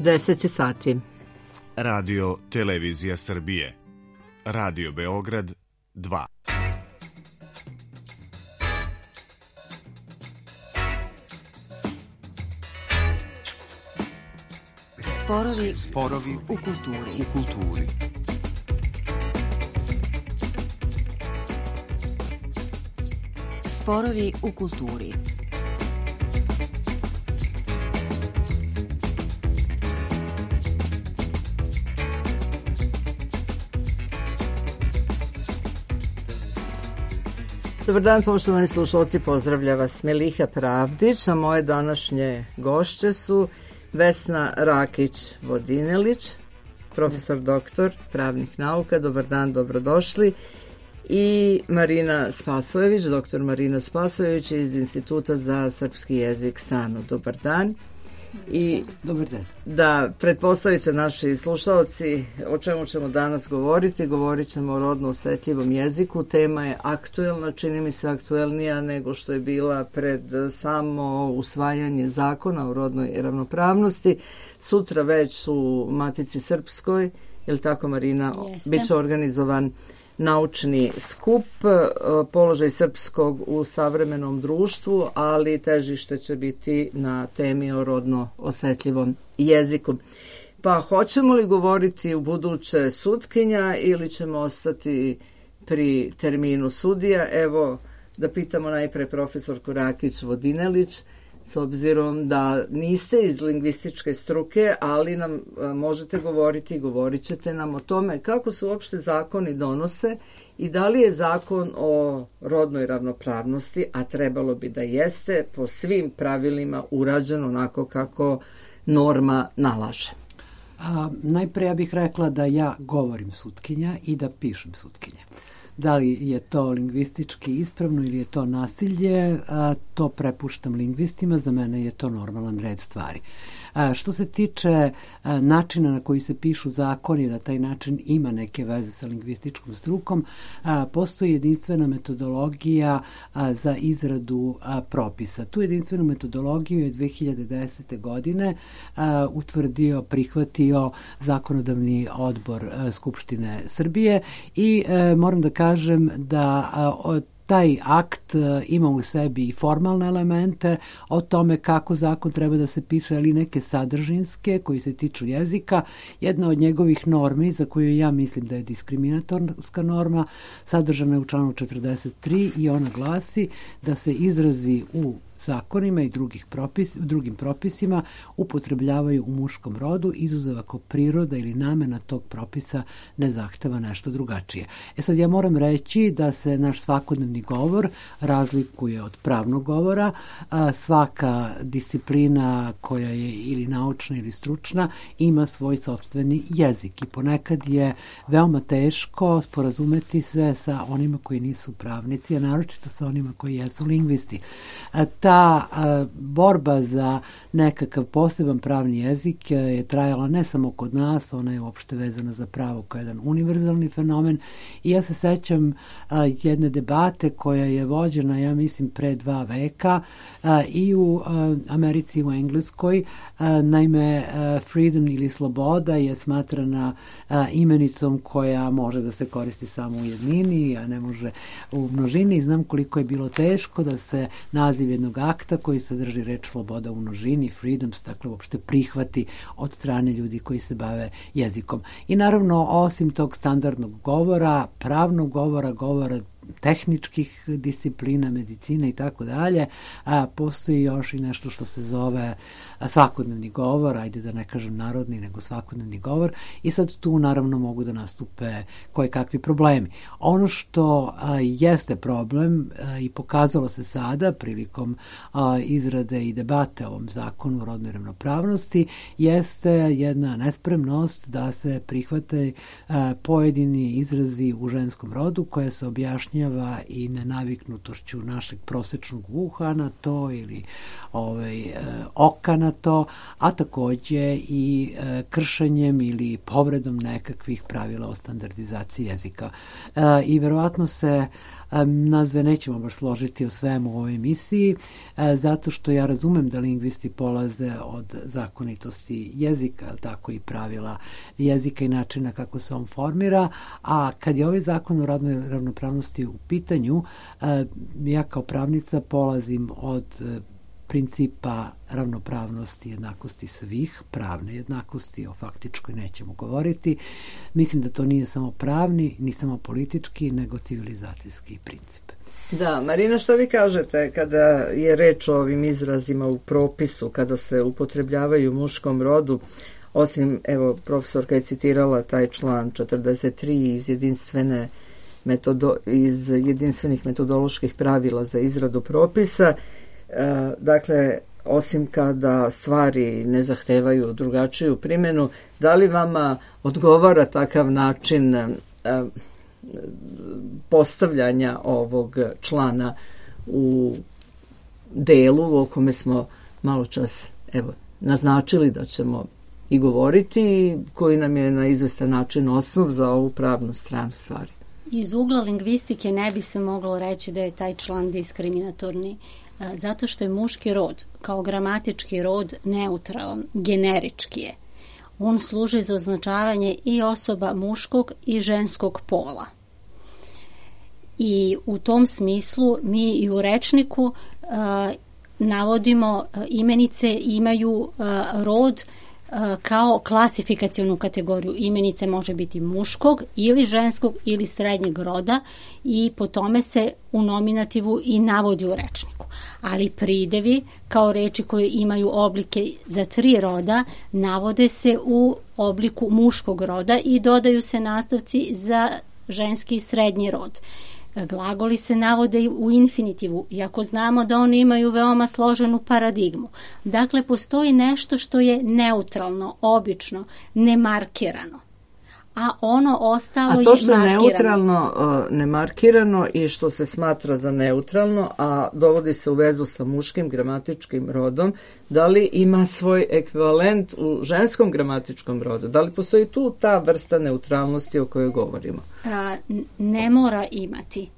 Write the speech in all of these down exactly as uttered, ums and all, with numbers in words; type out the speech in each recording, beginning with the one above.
deset sati. Radio Televizija Srbije. Radio Beograd dva. Sporovi, Sporovi u kulturi. U kulturi. Sporovi u kulturi. Dobar dan, poštovani slušalci, pozdravlja vas Meliha Pravdić, a moje današnje gošće su Vesna Rakić-Vodinelić, profesor doktor pravnih nauka, dobar dan, dobrodošli, i Marina Spasojević, doktor Marina Spasojević iz Instituta za srpski jezik SANU, dobar dan. I dobar dan. Da pretpostavite naši slušalci o čemu ćemo danas govoriti. Govorit ćemo o rodno osetljivom jeziku. Tema je aktuelna, čini mi se aktuelnija nego što je bila pred samo usvajanje zakona o rodnoj ravnopravnosti. Sutra već u Matici Srpskoj, je li tako, Marina, biće organizovan naučni skup, položaj srpskog u savremenom društvu, ali težište će biti na temi o rodno osetljivom jeziku. Pa hoćemo li govoriti u buduće sutkinja ili ćemo ostati pri terminu sudija? Evo, da pitamo najpre profesorku Rakić-Vodinelić, s obzirom da niste iz lingvističke struke, ali nam možete govoriti i govorit ćete nam o tome kako se uopšte zakoni donose i da li je zakon o rodnoj ravnopravnosti, a trebalo bi da jeste, po svim pravilima urađen onako kako norma nalaže. A, najpre ja bih rekla da ja govorim sutkinja i da pišem sutkinja. Da li je to lingvistički ispravno ili je to nasilje, a, to prepuštam lingvistima, za mene je to normalan red stvari. A, što se tiče a, načina na koji se pišu zakoni, da taj način ima neke veze sa lingvističkom strukom, a, postoji jedinstvena metodologija a, za izradu a, propisa. Tu jedinstvenu metodologiju je dve hiljade desete. godine a, utvrdio, prihvatio Zakonodavni odbor a, Skupštine Srbije i a, moram da kažem da a, taj akt ima u sebi i formalne elemente o tome kako zakon treba da se piše, ali neke sadržinske koji se tiču jezika. Jedna od njegovih normi, za koju ja mislim da je diskriminatorska norma, sadržana je u članu četrdeset tri i ona glasi da se izrazi u zakonima i drugih propis, drugim propisima upotrebljavaju u muškom rodu, izuzev ako priroda ili namena tog propisa ne zahteva nešto drugačije. E sad ja moram reći da se naš svakodnevni govor razlikuje od pravnog govora. A, svaka disciplina koja je ili naučna ili stručna ima svoj sopstveni jezik i ponekad je veoma teško sporazumeti se sa onima koji nisu pravnici, a naročito sa onima koji jesu lingvisti. A, ta a, borba za nekakav poseban pravni jezik je trajala ne samo kod nas, ona je uopšte vezana za pravo kao jedan univerzalni fenomen i ja se sećam a, jedne debate koja je vođena, ja mislim, pre dva veka a, i u a, Americi i u Engleskoj. A, naime, a, freedom ili sloboda je smatrana a, imenicom koja može da se koristi samo u jednini, a ne može u množini. Znam koliko je bilo teško da se naziv jednog akta koji sadrži reč sloboda u množini, freedoms, dakle uopšte prihvati od strane ljudi koji se bave jezikom. I naravno, osim tog standardnog govora, pravnog govora, govora tehničkih disciplina, medicine i tako dalje, a postoji još i nešto što se zove svakodnevni govor, ajde da ne kažem narodni, nego svakodnevni govor, i sad tu naravno mogu da nastupe koje kakvi problemi. Ono što a, jeste problem a, i pokazalo se sada prilikom a, izrade i debate o ovom zakonu o rodnoj ravnopravnosti jeste jedna nespremnost da se prihvate a, pojedini izrazi u ženskom rodu koja se objašnjava i nenaviknutošću našeg prosečnog uha na to ili ovaj, e, oka na to, a takođe i e, kršenjem ili povredom nekakvih pravila o standardizaciji jezika. E, I verovatno se Nas dve nećemo baš složiti o svemu u ovoj emisiji, zato što ja razumem da lingvisti polaze od zakonitosti jezika, tako i pravila jezika i načina kako se on formira, a kad je ovaj zakon o rodnoj ravnopravnosti u pitanju, ja kao pravnica polazim od principa ravnopravnosti, jednakosti svih, pravne jednakosti, o faktičkoj nećemo govoriti. Mislim da to nije samo pravni, ni samo politički, nego civilizacijski princip. Da, Marina, što vi kažete kada je reč o ovim izrazima u propisu, kada se upotrebljavaju u muškom rodu, osim, evo, profesorka je citirala taj član četrdeset tri iz jedinstvene metodo, iz jedinstvenih metodoloških pravila za izradu propisa. E, dakle, osim kada stvari ne zahtevaju drugačiju primjenu, da li vama odgovara takav način e, postavljanja ovog člana u delu o kome smo malo čas evo, naznačili da ćemo i govoriti, koji nam je na izvestan način osnov za ovu pravnu stranu stvari? Iz ugla lingvistike ne bi se moglo reći da je taj član diskriminatorni, zato što je muški rod kao gramatički rod neutralan, generički je. On služi za označavanje i osoba muškog i ženskog pola. I u tom smislu mi i u rečniku uh, navodimo uh, imenice imaju uh, rod uh, kao klasifikacionu kategoriju. Imenice može biti muškog ili ženskog ili srednjeg roda i po tome se u nominativu i navodi u rečniku. Ali pridevi kao reči koje imaju oblike za tri roda navode se u obliku muškog roda i dodaju se nastavci za ženski i srednji rod. Glagoli se navode u infinitivu, iako znamo da oni imaju veoma složenu paradigmu. Dakle, postoji nešto što je neutralno, obično, nemarkirano. A ono ostalo je markirano. A to što je neutralno, nemarkirano i što se smatra za neutralno, a dovodi se u vezu sa muškim gramatičkim rodom, da li ima svoj ekvivalent u ženskom gramatičkom rodu? Da li postoji tu ta vrsta neutralnosti o kojoj govorimo? A, ne mora imati.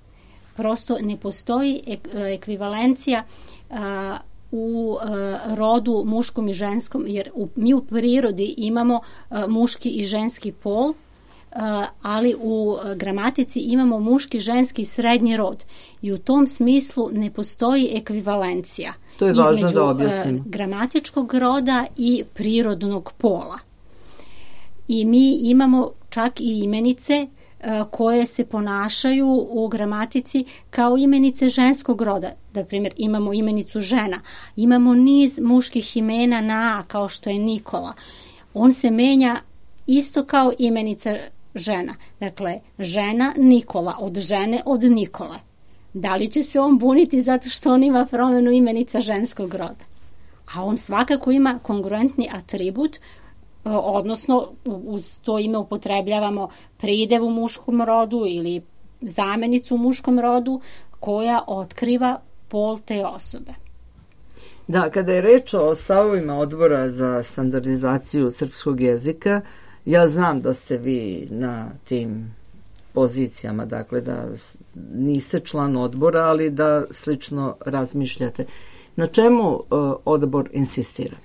Prosto ne postoji ek, ekvivalencija a, u a, rodu muškom i ženskom, jer u, mi u prirodi imamo a, muški i ženski pol, a, ali u a, gramatici imamo muški, ženski i srednji rod. I u tom smislu ne postoji ekvivalencija to je važno između da objasnimo. A, gramatičkog roda i prirodnog pola. I mi imamo čak i imenice koje se ponašaju u gramatici kao imenice ženskog roda. Da primjer, imamo imenicu žena, imamo niz muških imena na A, kao što je Nikola. On se menja isto kao imenica žena. Dakle, žena Nikola, od žene od Nikole. Da li će se on buniti zato što on ima promjenu imenica ženskog roda? A on svakako ima kongruentni atribut, odnosno uz to ime upotrebljavamo pridev u muškom rodu ili zamenicu u muškom rodu koja otkriva pol te osobe. Da, kada je reč o stavovima odbora za standardizaciju srpskog jezika, ja znam da ste vi na tim pozicijama, dakle da niste član odbora, ali da slično razmišljate. Na čemu uh, odbor insistira?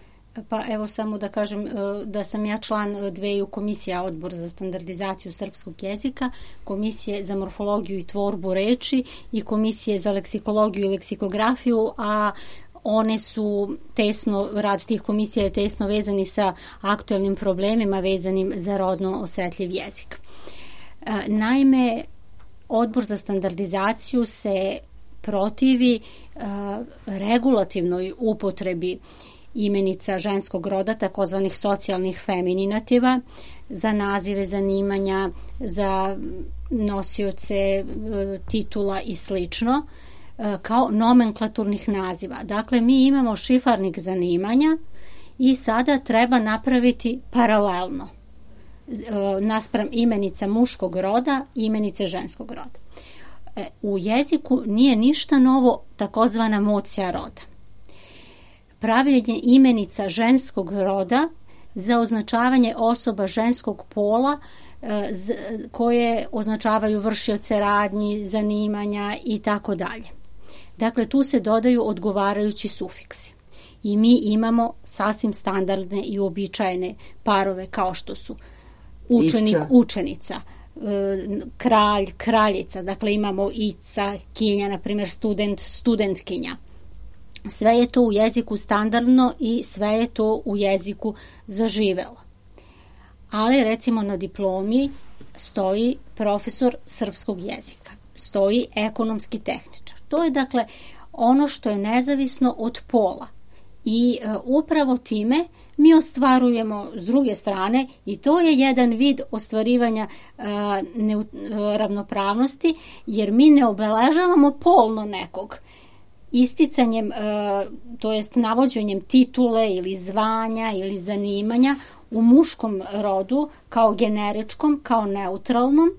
Pa evo samo da kažem da sam ja član dveju komisija Odbora za standardizaciju srpskog jezika, Komisije za morfologiju i tvorbu reči i Komisije za leksikologiju i leksikografiju, a one su tesno, rad tih komisija je tesno vezani sa aktuelnim problemima vezanim za rodno osetljiv jezik. Naime, Odbor za standardizaciju se protivi regulativnoj upotrebi imenica ženskog roda, takozvanih socijalnih femininativa, za nazive zanimanja, za nosioce titula i slično, kao nomenklaturnih naziva. Dakle, mi imamo šifarnik zanimanja i sada treba napraviti paralelno naspram imenica muškog roda i imenice ženskog roda. U jeziku nije ništa novo takozvana mocija roda. Pravljenje imenica ženskog roda za označavanje osoba ženskog pola koje označavaju vršioce radnji, zanimanja i tako dalje. Dakle, tu se dodaju odgovarajući sufiksi. I mi imamo sasvim standardne i uobičajene parove kao što su učenik, Ica. učenica, kralj, kraljica, dakle imamo ica, kinja, na primjer student, studentkinja. Sve je to u jeziku standardno i sve je to u jeziku zaživelo. Ali recimo na diplomi stoji profesor srpskog jezika, stoji ekonomski tehničar. To je dakle ono što je nezavisno od pola i e, upravo time mi ostvarujemo s druge strane i to je jedan vid ostvarivanja e, ne, ravnopravnosti, jer mi ne obeležavamo polno nekog isticanjem, e, to jest navođenjem titule ili zvanja ili zanimanja u muškom rodu kao generičkom, kao neutralnom.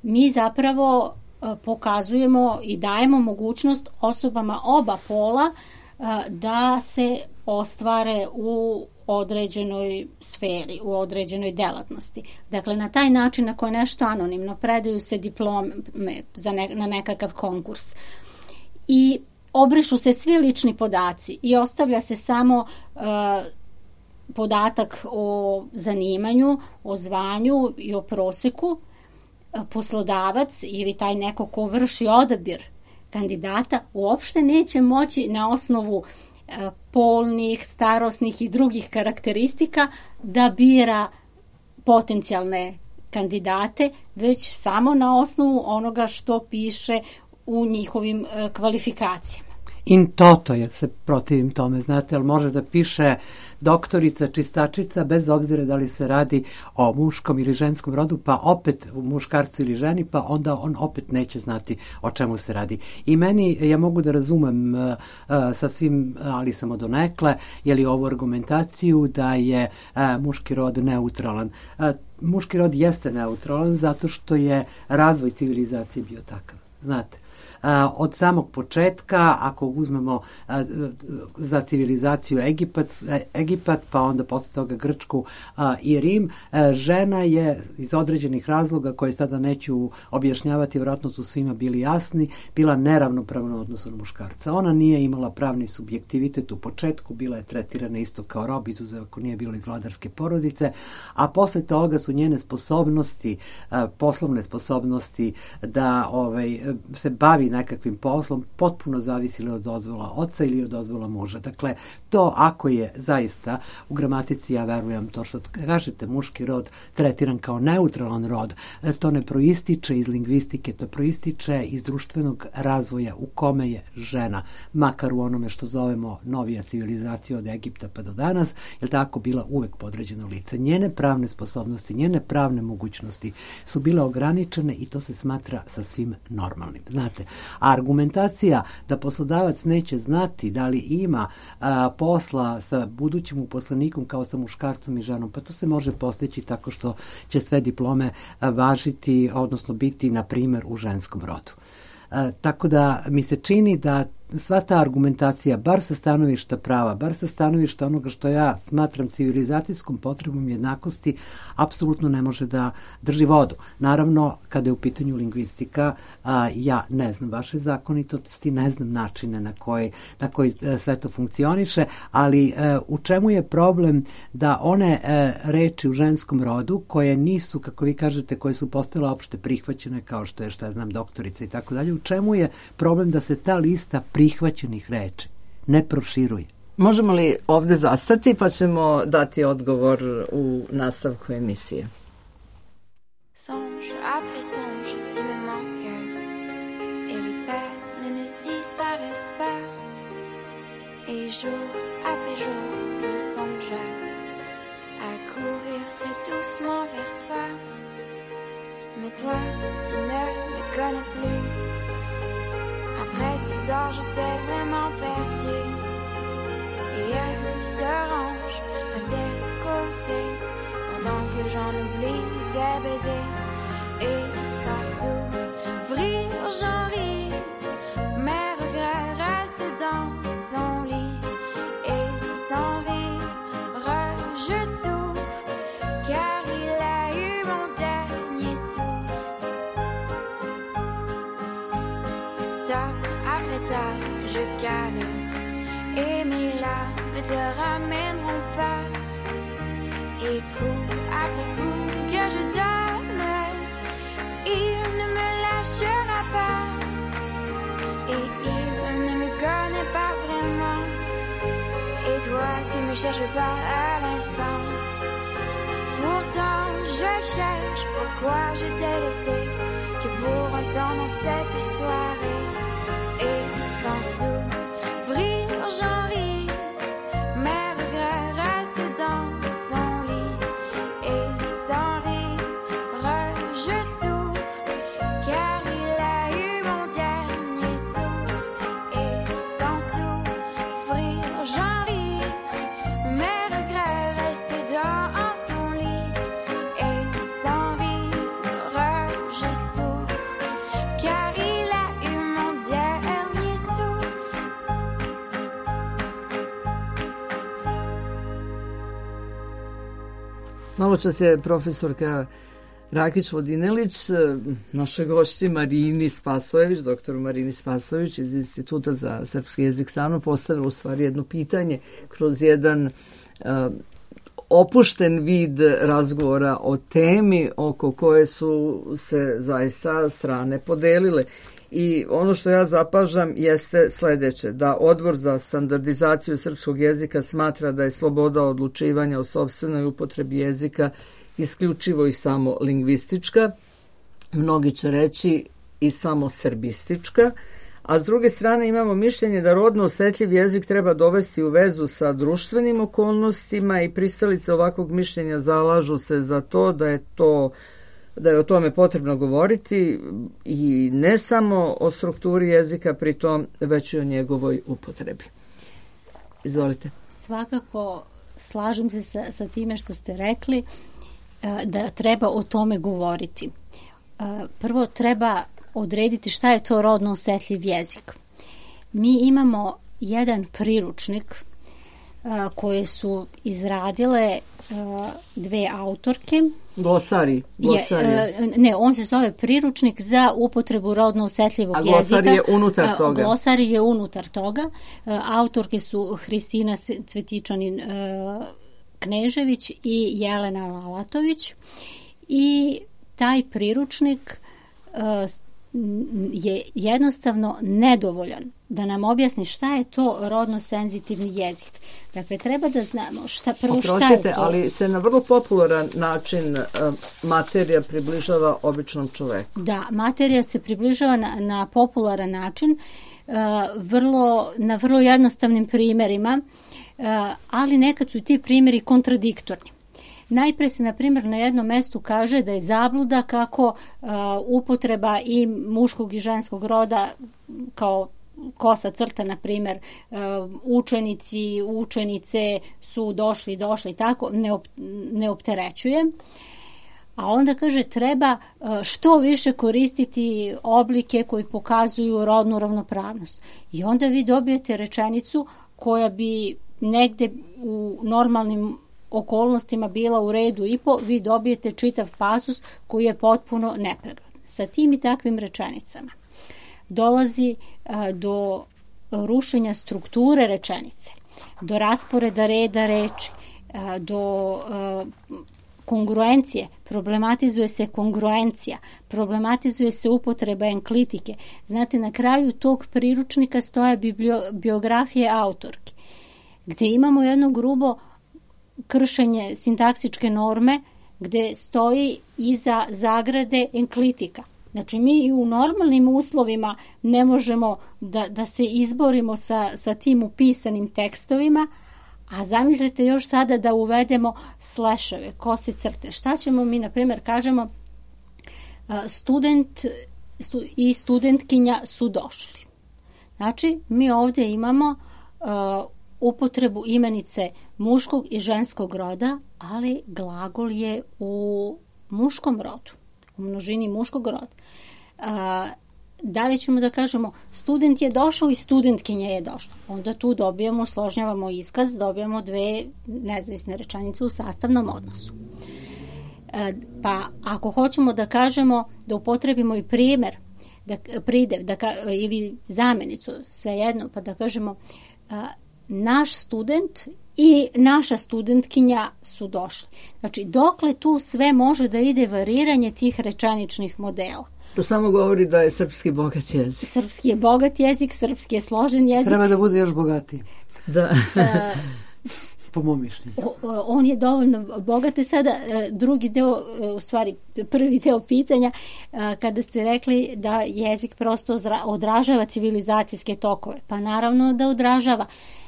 Mi zapravo e, pokazujemo i dajemo mogućnost osobama oba pola e, da se ostvare u određenoj sferi, u određenoj delatnosti. Dakle, na taj način, ako je nešto anonimno, predaju se diplome za ne, na nekakav konkurs. I obrišu se svi lični podaci i ostavlja se samo uh, podatak o zanimanju, o zvanju i o proseku. Poslodavac ili taj neko ko vrši odabir kandidata uopšte neće moći na osnovu polnih, starosnih i drugih karakteristika da bira potencijalne kandidate, već samo na osnovu onoga što piše u njihovim kvalifikacijama. In toto je, se protivim tome, znate, ali može da piše doktorica, čistačica, bez obzira da li se radi o muškom ili ženskom rodu, pa opet u muškarcu ili ženi, pa onda on opet neće znati o čemu se radi. I meni, ja mogu da razumem uh, sa svim, ali samo donekle, je li ovu argumentaciju da je uh, muški rod neutralan. Uh, muški rod jeste neutralan zato što je razvoj civilizacije bio takav, znate. Uh, od samog početka, ako uzmemo uh, za civilizaciju Egipat, Egipat, pa onda posle toga Grčku uh, i Rim, uh, žena je iz određenih razloga koje sada neću objašnjavati, vjerojatno su svima bili jasni, bila neravnopravna u odnosu na muškarca. Ona nije imala pravni subjektivitet u početku, bila je tretirana isto kao rob, izuzev ako nije bila iz vladarske porodice, a posle toga su njene sposobnosti, uh, poslovne sposobnosti da ovaj, se bavi nekakvim poslom potpuno zavisili od dozvola oca ili od dozvola muža. Dakle, to ako je zaista u gramatici, ja verujem to što kažete, muški rod tretiran kao neutralan rod, to ne proističe iz lingvistike, to proističe iz društvenog razvoja u kome je žena, makar u onome što zovemo novija civilizacija od Egipta pa do danas, je tako bila uvek podređeno lice. Njene pravne sposobnosti, njene pravne mogućnosti su bile ograničene i to se smatra sasvim normalnim. Znate, a argumentacija da poslodavac neće znati da li ima a, posla sa budućim uposlenikom kao sa muškarcom i ženom, pa to se može postići tako što će sve diplome a, važiti, odnosno biti, na primjer, u ženskom rodu. A, tako da mi se čini da sva ta argumentacija, bar sa stanovišta prava, bar sa stanovišta onoga što ja smatram civilizacijskom potrebom jednakosti, apsolutno ne može da drži vodu. Naravno, kada je u pitanju lingvistika, a, ja ne znam vaše zakonitosti, ne znam načine na koji, na koji a, sve to funkcioniše, ali a, u čemu je problem da one a, reči u ženskom rodu, koje nisu, kako vi kažete, koje su postale opšte prihvaćene, kao što je, šta ja znam, doktorica i tako dalje, u čemu je problem da se ta lista prihvaćenih reči ne proširuje? Možemo li ovde zastati pa ćemo dati odgovor u nastavku emisije? Songe après songe, tu me manques et les peines ne disparaissent pas. Et jour après jour, je songe à courir très doucement vers toi. Mais toi, tu ne me connais plus. Après ce temps, je t'ai vraiment perdu. Et elle se range à tes côtés pendant que j'en oublie tes baisers. Et sans s'ouvrir, j'en ris. Mes regrets restent dans son lit. Et sans rire, je souffre. tard, je cale. Et mes larmes ne te ramèneront pas. Et coup après coup que je donne, il ne me lâchera pas. Et il ne me connaît pas vraiment. Et toi, tu me cherches pas à l'instant. Pourtant, je cherche pourquoi je t'ai laissé. Que pour un temps dans cette soirée. Et sans s'ouvrir, j'en ris. Mes regrets restent dans son lit. Et sans rire, je souffre. Car il a eu mon dernier souffle. Et sans s'ouvrir, j'en ris. Mes regrets restent dans son lit. Et sans rire, je souffre. Car il a eu mon dernier souffle. Malo čas je profesorka Rakić Vodinelić našoj gošći Marini Spasojević, doktoru Marini Spasojević iz Instituta za srpski jezik Stano postavila u stvari jedno pitanje kroz jedan uh, opušten vid razgovora o temi oko koje su se zaista strane podelile. I ono što ja zapažam jeste sledeće, da Odbor za standardizaciju srpskog jezika smatra da je sloboda odlučivanja o sopstvenoj upotrebi jezika isključivo i samo lingvistička, mnogi će reći i samo srbistička, a s druge strane imamo mišljenje da rodno osetljiv jezik treba dovesti u vezu sa društvenim okolnostima i pristalice ovakvog mišljenja zalažu se za to da je to da je o tome potrebno govoriti i ne samo o strukturi jezika pritom, već i o njegovoj upotrebi. Izvolite. Svakako slažem se sa, sa time što ste rekli da treba o tome govoriti. Prvo treba odrediti šta je to rodno osetljiv jezik. Mi imamo jedan priručnik koje su izradile dve autorke. Glosari. glosari. Je, ne, on se zove priručnik za upotrebu rodno osetljivog jezika. A glosari je unutar toga. Glosari je unutar toga. Autorke su Hristina Cvetičanin Knežević i Jelena Lalatović. I taj priručnik je jednostavno nedovoljan da nam objasni šta je to rodno senzitivni jezik. Dakle, treba da znamo šta, prvo Oprostite, šta je to. ali se na vrlo popularan način uh, materija približava običnom čoveku. Da, materija se približava na, na popularan način, uh, vrlo, na vrlo jednostavnim primjerima, uh, ali nekad su ti primjeri kontradiktorni. Najpre se, na primjer, na jednom mestu kaže da je zabluda kako uh, upotreba i muškog i ženskog roda kao kosa crta, na primjer, uh, učenici, učenice su došli, došli, tako, ne, op, ne opterećuje. A onda kaže treba uh, što više koristiti oblike koji pokazuju rodnu ravnopravnost. I onda vi dobijete rečenicu koja bi negde u normalnim okolnostima bila u redu i po, vi dobijete čitav pasus koji je potpuno nepregledan. Sa tim i takvim rečenicama dolazi a, do rušenja strukture rečenice, do rasporeda reda reči, a, do a, kongruencije, problematizuje se kongruencija, problematizuje se upotreba enklitike. Znate, na kraju tog priručnika stoje biblio, biografije autorki, gde imamo jedno grubo kršenje sintaksičke norme gde stoji iza zagrade enklitika. Znači, mi u normalnim uslovima ne možemo da, da se izborimo sa, sa tim upisanim tekstovima, a zamislite još sada da uvedemo sleševe, kose crte. Šta ćemo mi, na primjer, kažemo student i studentkinja su došli. Znači, mi ovdje imamo uh, upotrebu imenice muškog i ženskog roda, ali glagol je u muškom rodu, u množini muškog roda. A, da li ćemo da kažemo student je došao i studentkinja je došla? Onda tu dobijamo, složnjavamo iskaz, dobijamo dve nezavisne rečenice u sastavnom odnosu. A, pa ako hoćemo da kažemo, da upotrebimo i primjer, da pridev da ka, ili zamenicu, svejedno, pa da kažemo a, naš student i naša studentkinja su došli. Znači, dokle tu sve može da ide variranje tih rečeničnih modela. To samo govori da je srpski bogat jezik. Srpski je bogat jezik, srpski je složen jezik. Treba da bude još bogatiji. Da. A, po mom mišljenju. On je dovoljno bogat. Sada drugi deo, u stvari prvi deo pitanja, kada ste rekli da jezik prosto odražava civilizacijske tokove. Pa naravno da odražava,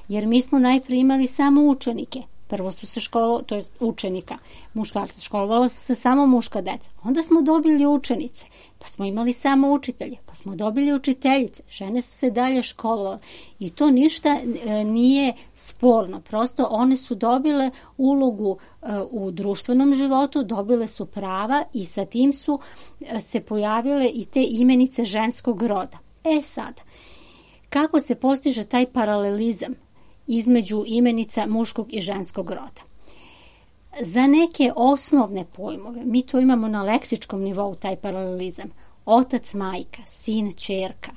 jer mi smo najprije imali samo učenike. Prvo su se školovali, to je učenika, muškarci, školovala su se samo muška deca. Onda smo dobili učenice, pa smo imali samo učitelje, pa smo dobili učiteljice. Žene su se dalje školovale i to ništa e, nije sporno. Prosto one su dobile ulogu e, u društvenom životu, dobile su prava i sa tim su e, se pojavile i te imenice ženskog roda. E sad, kako se postiže taj paralelizam između imenica muškog i ženskog roda? Za neke osnovne pojmove, mi to imamo na leksičkom nivou, taj paralelizam, otac, majka, sin, ćerka,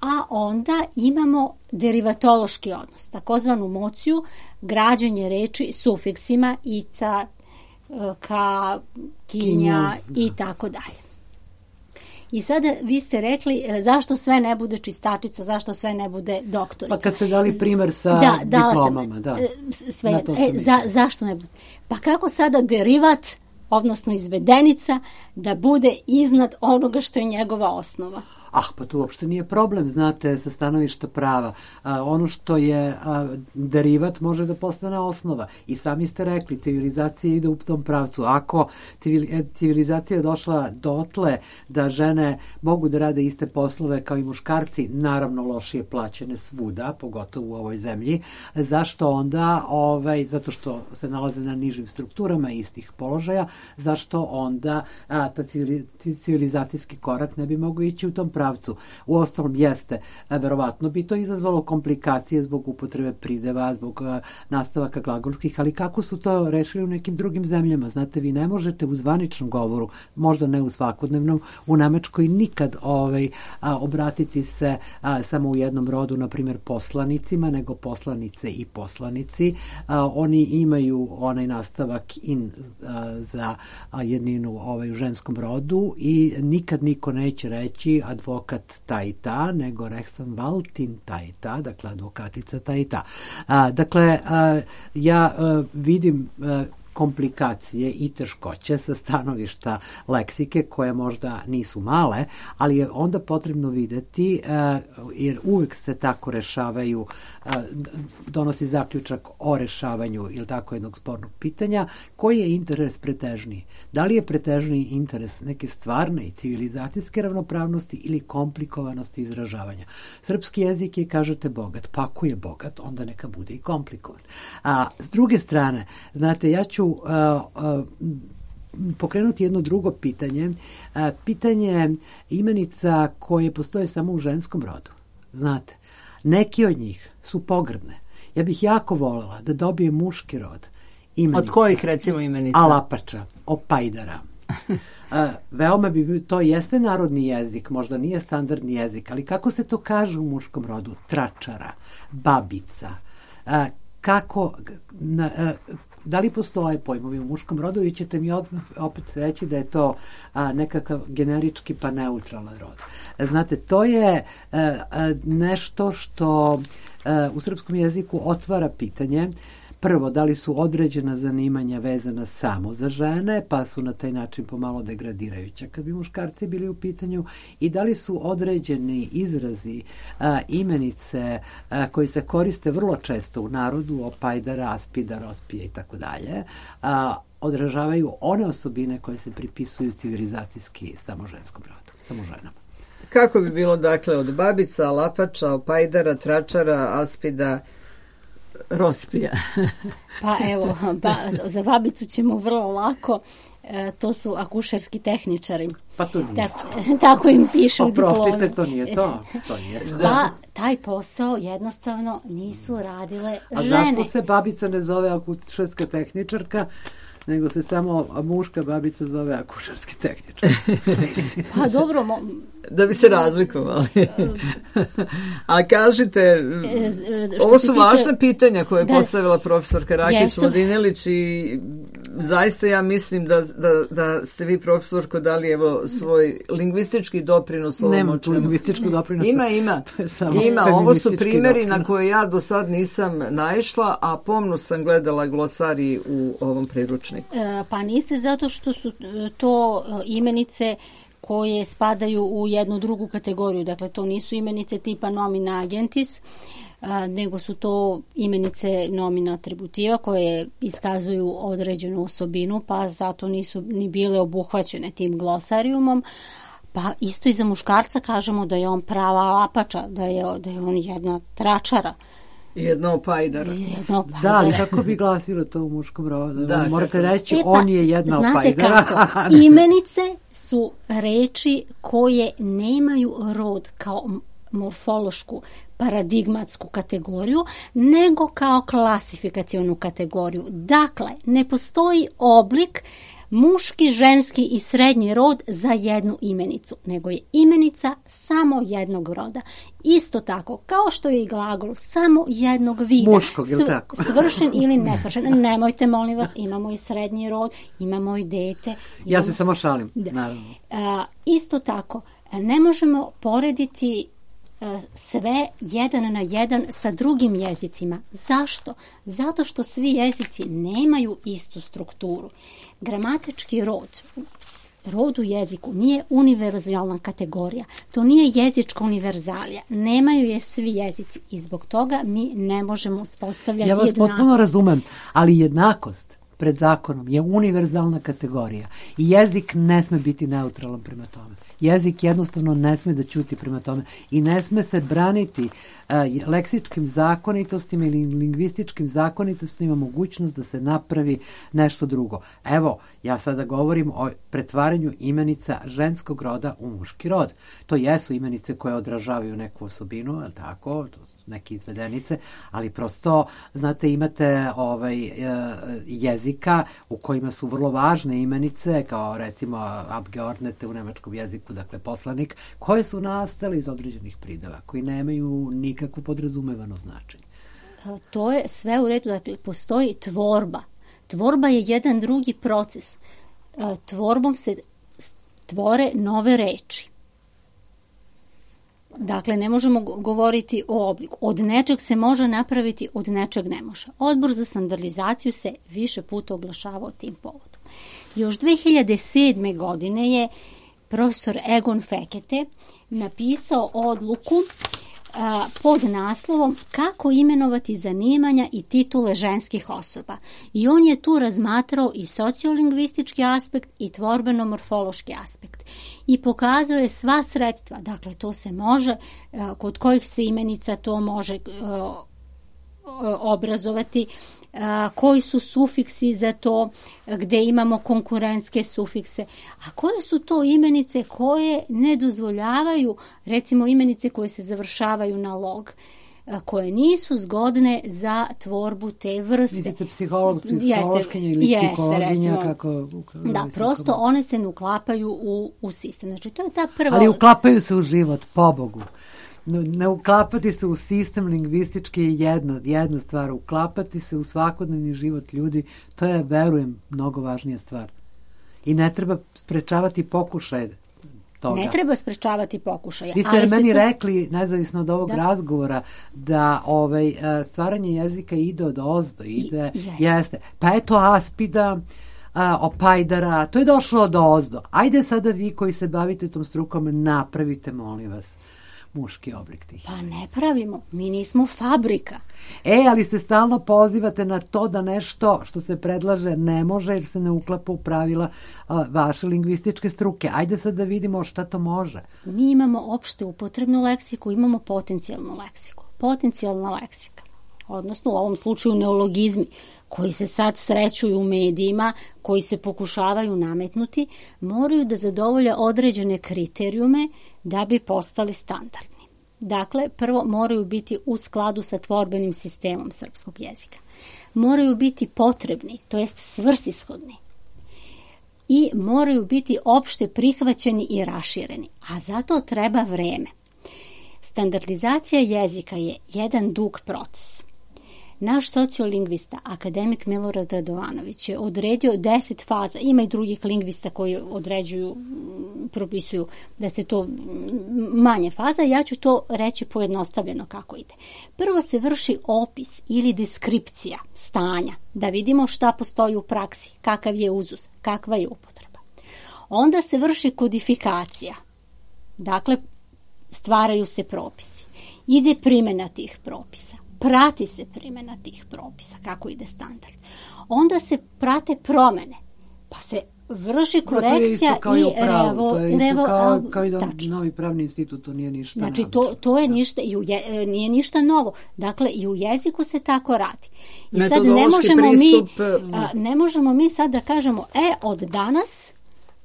a onda imamo derivatološki odnos, takozvanu mociju, građenje reči sufiksima ica, ka, kinja i tako dalje. I sada vi ste rekli zašto sve ne bude čistačica, zašto sve ne bude doktorica. Pa kad ste dali primer sa da, diplomama. Sam, da, sve, e, za, zašto ne bude? Pa kako sada derivat, odnosno izvedenica, da bude iznad onoga što je njegova osnova? Ah, pa tu uopšte nije problem, znate, sa stanovišta prava. A, ono što je a, derivat može da postane osnova. I sami ste rekli, civilizacija ide u tom pravcu. Ako civili, civilizacija je došla dotle da žene mogu da rade iste poslove kao i muškarci, naravno lošije plaćene svuda, pogotovo u ovoj zemlji, zašto onda, ovaj, zato što se nalaze na nižim strukturama istih položaja, zašto onda a, ta civili, civilizacijski korak ne bi mogao ići u tom pravcu? pravcu. U ostalom jeste, verovatno bi to izazvalo komplikacije zbog upotrebe prideva, zbog nastavaka glagolskih, ali kako su to rešili u nekim drugim zemljama? Znate, vi ne možete u zvaničnom govoru, možda ne u svakodnevnom, u Nemačkoj nikad ovaj, a, obratiti se a, samo u jednom rodu, na primjer poslanicima, nego poslanice i poslanici. A, oni imaju onaj nastavak in a, za a, jedninu ovaj, u ženskom rodu i nikad niko neće reći advokat ta i ta, nego Rechtsanwaltin ta i ta, dakle advokatica ta i ta. A, dakle, a, ja a, vidim a, komplikacije i teškoće sa stanovišta leksike koje možda nisu male, ali je onda potrebno videti, jer uvek se tako rešavaju, donosi zaključak o rešavanju ili tako jednog spornog pitanja, koji je interes pretežniji? Da li je pretežniji interes neke stvarne i civilizacijske ravnopravnosti ili komplikovanosti izražavanja? Srpski jezik je, kažete, bogat. Pa ako je bogat, onda neka bude i komplikovan. A s druge strane, znate, ja ću Uh, uh, pokrenuti jedno drugo pitanje. Uh, pitanje imenica koje postoje samo u ženskom rodu. Znate, neki od njih su pogrdne. Ja bih jako voljela da dobije muški rod. Imenica. Od kojih, recimo, imenica? Alapača, Opajdara. Uh, veoma bi, to jeste narodni jezik, možda nije standardni jezik, ali kako se to kaže u muškom rodu? Tračara, babica, uh, kako... Na, uh, da li postoje pojmovi u muškom rodu i ćete mi opet reći da je to a, nekakav generički pa neutralan rod. Znate, to je a, a, nešto što a, u srpskom jeziku otvara pitanje. Prvo, da li su određena zanimanja vezana samo za žene, pa su na taj način pomalo degradirajuća kad bi muškarci bili u pitanju, i da li su određeni izrazi, a, imenice a, koji se koriste vrlo često u narodu, Opajdara, Aspidar, Ospije i tako dalje, odražavaju one osobine koje se pripisuju civilizacijski samo ženskom rodu, samo ženama. Kako bi bilo, dakle, od babica, Alapača, Opajdara, Tračara, Aspida, Rospija? Pa evo, ba, za babicu ćemo vrlo lako, e, to su akušerski tehničari. Pa to nije tako, to. Tako im piše u diplomi. Oprostite, to nije to. to nije to. Pa taj posao jednostavno nisu radile A žene. A zašto se babica ne zove akušerska tehničarka, nego se samo muška babica zove akušerski tehničar. Pa dobro, mo... da bi se razlikovali. A kažite, ovo su tiče... važne pitanja koje je da, postavila profesorka Rakić-Mladinelić i zaista ja mislim da, da, da ste vi, profesorko, dali evo svoj lingvistički doprinos ovom. Nema tu lingvističku doprinos. Ima, ima. Ima, ovo su primjeri doprinos na koje ja do sad nisam naišla, a pomno sam gledala glosarij u ovom priručniku. E, pa niste, zato što su to imenice koje spadaju u jednu drugu kategoriju. Dakle, to nisu imenice tipa nomina agentis, a, nego su to imenice nomina atributiva koje iskazuju određenu osobinu, pa zato nisu ni bile obuhvaćene tim glosarijumom. Pa isto i za muškarca kažemo da je on prava lapača, da je, da je on jedna tračara. Jedno opajdara. Jedno opajdara. Da, ali kako bi glasilo to u muškom rodu? Da, morate reći, e, pa, on je jedna znate opajdara. Kako? Imenice su reči koje nemaju rod kao morfološku paradigmatsku kategoriju, nego kao klasifikacionu kategoriju. Dakle, ne postoji oblik muški, ženski i srednji rod za jednu imenicu, nego je imenica samo jednog roda. Isto tako, kao što je i glagol samo jednog vida. Muškog, je li tako? Svršen ili nesvršen. Nemojte, molim vas, imamo i srednji rod, imamo i dete. Imamo... Ja se samo šalim, da. naravno. A, isto tako, ne možemo porediti sve jedan na jedan sa drugim jezicima. Zašto? Zato što svi jezici nemaju istu strukturu. Gramatički rod, rod u jeziku nije univerzalna kategorija. To nije jezička univerzalija. Nemaju je svi jezici i zbog toga mi ne možemo uspostavljati jednakost. Ja vas jednakost. potpuno razumem, ali jednakost pred zakonom je univerzalna kategorija i jezik ne sme biti neutralan prema tome. Jezik jednostavno ne sme da ćuti prema tome i ne sme se braniti uh, leksičkim zakonitostima ili lingvističkim zakonitostima mogućnost da se napravi nešto drugo. Evo, ja sada govorim o pretvaranju imenica ženskog roda u muški rod. To jesu imenice koje odražavaju neku osobinu, je li tako? To su neke izvedenice, ali prosto, znate, imate ovaj, jezika u kojima su vrlo važne imenice, kao recimo Abgeordnete u nemačkom jeziku, dakle poslanik, koje su nastale iz određenih prideva, koji nemaju nikakvo podrazumevano značenje. To je sve u redu, dakle, postoji tvorba. Tvorba je jedan drugi proces. Tvorbom se tvore nove reči. Dakle, ne možemo govoriti o obliku. Od nečeg se može napraviti, od nečeg ne može. Odbor za standardizaciju se više puta oglašavao tim povodom. Još dve hiljade sedme. godine je profesor Egon Fekete napisao odluku a, pod naslovom Kako imenovati zanimanja i titule ženskih osoba. I on je tu razmatrao i sociolingvistički aspekt i tvorbeno-morfološki aspekt. I pokazao je sva sredstva. Dakle, to se može, a, kod kojih se imenica to može a, obrazovati, a, koji su sufiksi za to, gde imamo konkurentske sufikse, a koje su to imenice koje ne dozvoljavaju, recimo imenice koje se završavaju na log, a, koje nisu zgodne za tvorbu te vrste. Mislite psiholog, psihološkinja ili jeste, psihologinja, recimo, kako... Da, prosto one se ne uklapaju u, u sistem. Znači, to je ta prva... Ali uklapaju se u život, pobogu. Ne uklapati se u sistem lingvistički je jedna, jedna stvar. Uklapati se u svakodnevni život ljudi, to je, verujem, mnogo važnija stvar. I ne treba sprečavati pokušaj toga. Ne treba sprečavati pokušaje. Vi ste ali meni to... rekli, nezavisno od ovog da. razgovora, da ovaj, stvaranje jezika ide od ozdo. Ide, I, jeste. jeste. Pa eto aspida, a, opajdara, to je došlo od ozdo. Ajde sada vi koji se bavite tom strukom, napravite, molim vas, muški oblik tih. Pa ne pravimo, mi nismo fabrika. E, ali se stalno pozivate na to da nešto što se predlaže ne može jer se ne uklapa u pravila a, vaše lingvističke struke. Ajde sad da vidimo šta to može. Mi imamo opšte upotrebnu leksiku, imamo potencijalnu leksiku. Potencijalna leksika, odnosno u ovom slučaju neologizmi, koji se sad srećuju u medijima, koji se pokušavaju nametnuti, moraju da zadovolje određene kriterijume da bi postali standardni. Dakle, prvo moraju biti u skladu sa tvorbenim sistemom srpskog jezika. moraju biti potrebni, to jest svrsishodni. I moraju biti opšte prihvaćeni i rašireni, a zato treba vreme. Standardizacija jezika je jedan dug proces. Naš sociolingvista, akademik Milorad Radovanović, je odredio deset faza. Ima i drugih lingvista koji određuju, propisuju da se to manje faza. Ja ću to reći pojednostavljeno kako ide. Prvo se vrši opis ili deskripcija stanja, da vidimo šta postoji u praksi, kakav je uzus, kakva je upotreba. Onda se vrši kodifikacija. Dakle, stvaraju se propisi. Ide primjena tih propisa. Prati se primjena tih propisa, kako ide standard. Onda se prate promene, pa se vrši korekcija kao i revo... revo... To je isto revo kao, kao i da tačno. novi pravni institut, to nije ništa. Znači, to, to je da. ništa, i u je, nije ništa novo. Dakle, i u jeziku se tako radi. I sad Metodološki ne možemo, pristup, mi, a, ne možemo mi sad da kažemo, e, od danas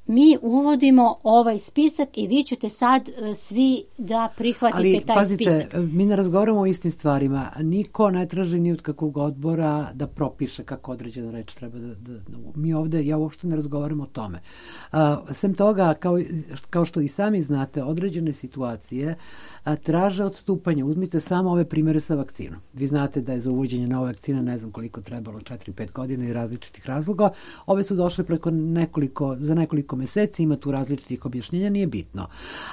mi uvodimo ovaj spisak i vi ćete sad uh, svi da prihvatite Ali, taj pazite, spisak. mi ne razgovaramo o istim stvarima. Niko ne traži ni od kakvog odbora da propiše kako određena reč treba da... da, da mi ovde, ja uopšte ne razgovaram o tome. Uh, sem toga, kao, kao što i sami znate, određene situacije a, traže odstupanje. Uzmite samo ove primere sa vakcinom. Vi znate da je za uvođenje nove vakcine ne znam koliko trebalo, četiri pet godina i različitih razloga. Ove su došle preko nekoliko, za nekoliko meseci, ima tu različitih objašnjenja, nije bitno.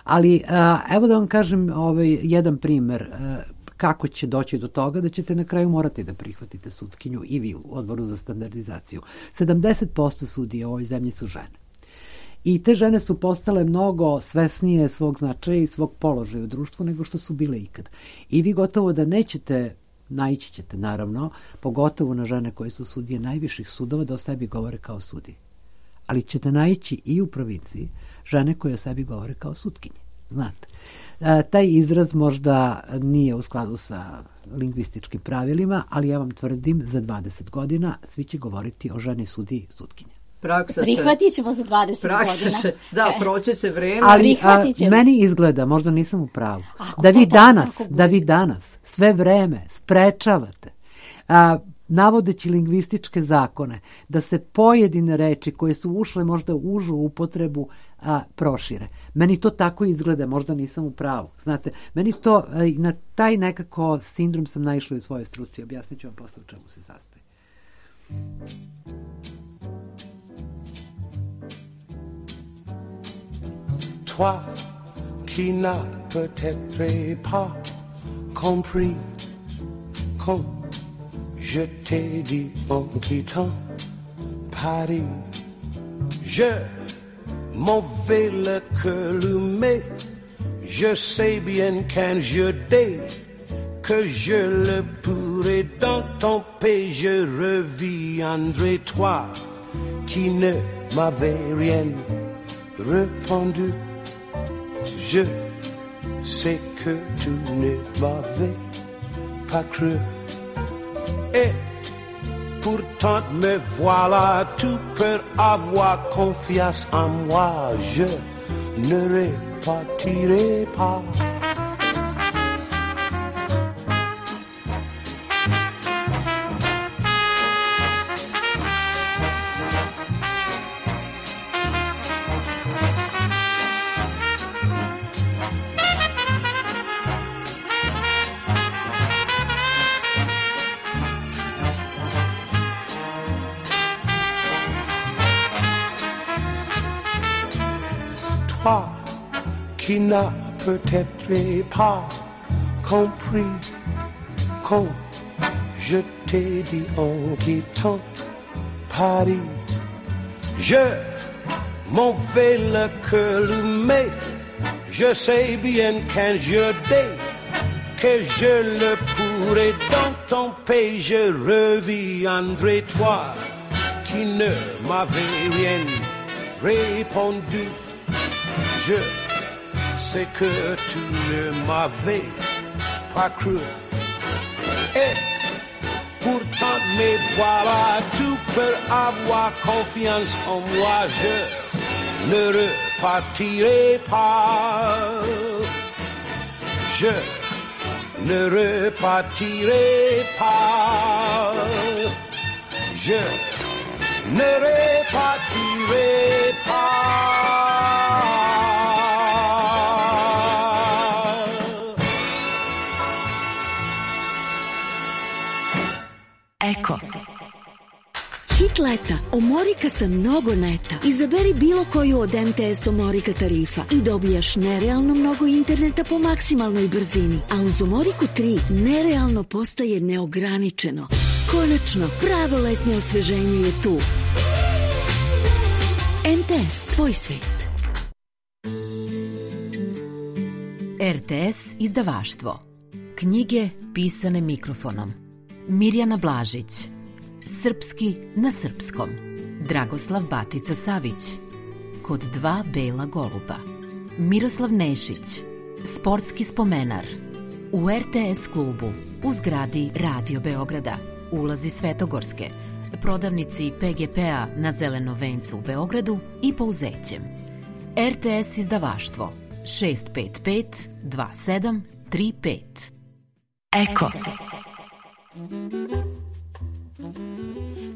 Ali a, evo da vam kažem ovaj, jedan primer a, kako će doći do toga da ćete na kraju morati da prihvatite sutkinju i vi u odboru za standardizaciju. sedamdeset posto sudija u ovoj zemlji su žene. I te žene su postale mnogo svesnije svog značaja i svog položaja u društvu nego što su bile ikad. I vi gotovo da nećete, naići ćete naravno, pogotovo na žene koje su sudije najviših sudova, da o sebi govore kao sudije. Ali ćete naići i u provinciji žene koje o sebi govore kao sutkinje. Znate, e, taj izraz možda nije u skladu sa lingvističkim pravilima, ali ja vam tvrdim, za dvadeset godina svi će govoriti o ženi sudiji sutkinje. Praksa Prihvatit ćemo za dvadeset praksa godina. Će, da, proći će vreme. Ali a, meni izgleda, možda nisam u pravu, da vi danas, da vi danas sve vreme sprečavate, a, navodeći lingvističke zakone, da se pojedine reči koje su ušle možda u užu upotrebu a, prošire. Meni to tako izgleda, možda nisam u pravu. Znate, meni to, a, na taj nekako sindrom sam naišla u svojoj struci. Objasnit ću vam posle u čemu se sastoji. Toi qui n'as peut-être pas compris quand je t'ai dit en quittant Paris, je m'en vais le cœur allumé, je sais bien qu'un jour dès que je le pourrai dans ton pays, je reviendrai. Toi qui ne m'avais rien répondu, je sais que tu ne m'avais pas cru. Et pourtant me voilà, tu peux avoir confiance en moi, je ne repartirai pas. Toi qui n'as peut-être pas compris quand je t'ai dit en quittant Paris, je m'en vais le cœur allumé, je sais bien qu'un jour dès que je le pourrai dans ton pays, je reviendrai. Toi qui ne m'avais rien répondu, je sais que tu ne m'avais pas cru. Et pourtant me voilà, tu peux avoir confiance en moi, je ne repartirai pas. Je ne repartirai pas. je ne répartirai pas. Eko. Hit leta. Omorika sa mnogo neta. Izaberi bilo koju od em te es Omorika tarifa i dobijaš nerealno mnogo interneta po maksimalnoj brzini. A uz Omoriku tri nerealno postaje neograničeno. Konačno, pravo letnje osveženje je tu. em te es, tvoj svet. er te es izdavaštvo. Knjige pisane mikrofonom. Mirjana Blažić. Srpski na srpskom. Dragoslav Batica Savić. Kod dva bela goluba. Miroslav Nešić. Sportski spomenar. U er te es klubu. U zgradi Radio Beograda. Ulazi Svetogorske. Prodavnici pe ge pe-a na Zelenom vencu u Beogradu i Pouzećem. er te es izdavaštvo. šest pet pet dva sedam tri pet. Eko.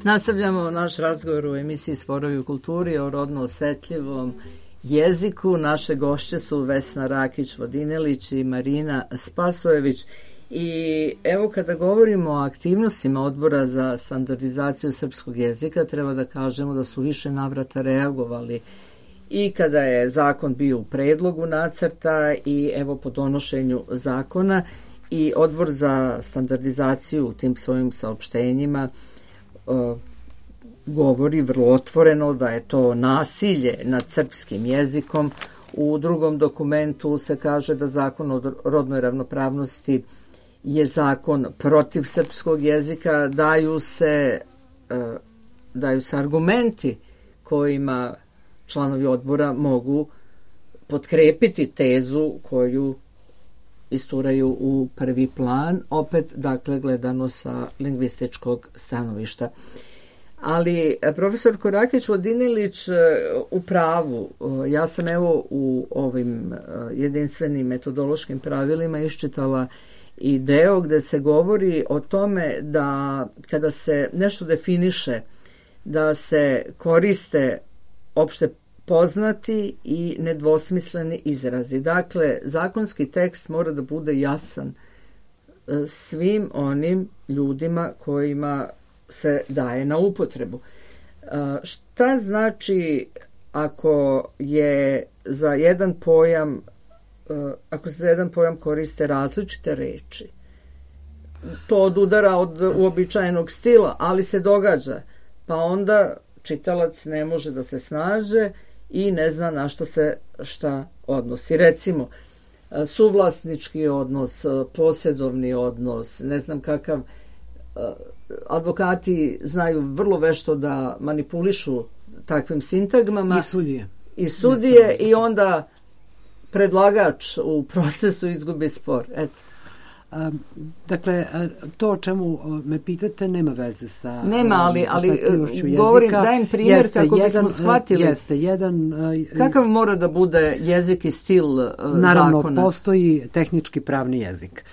Nastavljamo naš razgovor u emisiji Sporovi u kulturi o rodno osetljivom jeziku. Naše gošće su Vesna Rakić-Vodinelić i Marina Spasojević. I evo, kada govorimo o aktivnostima Odbora za standardizaciju srpskog jezika, treba da kažemo da su više navrata reagovali i kada je zakon bio u predlogu nacrta i evo po donošenju zakona, i Odbor za standardizaciju u tim svojim saopštenjima uh, govori vrlo otvoreno da je to nasilje nad srpskim jezikom. U drugom dokumentu se kaže da zakon o rodnoj ravnopravnosti je zakon protiv srpskog jezika. Daju se, uh, daju se argumenti kojima članovi odbora mogu potkrepiti tezu koju isturaju u prvi plan, opet, dakle, gledano sa lingvističkog stanovišta. Ali profesor Rakić-Vodinelić u pravu, ja sam evo u ovim jedinstvenim metodološkim pravilima iščitala i deo gde se govori o tome da kada se nešto definiše, da se koriste opšte poznati i nedvosmisleni izrazi. Dakle, zakonski tekst mora da bude jasan svim onim ljudima kojima se daje na upotrebu. Šta znači ako je za jedan pojam, ako se za jedan pojam koriste različite reči? To odudara od uobičajenog stila, ali se događa. Pa onda čitalac ne može da se snađe i ne zna na što se šta odnosi. Recimo, suvlasnički odnos, posjedovni odnos, ne znam kakav, advokati znaju vrlo vešto da manipulišu takvim sintagmama. I sudije. I sudije i onda predlagač u procesu izgubi spor. Eto. A, dakle, to o čemu me pitate nema veze sa nema, ali, ali govorim, dajem primjer jeste kako jedan, bismo shvatili jeste, jedan, kakav mora da bude jezik i stil naravno, zakona. Postoji tehnički pravni jezik.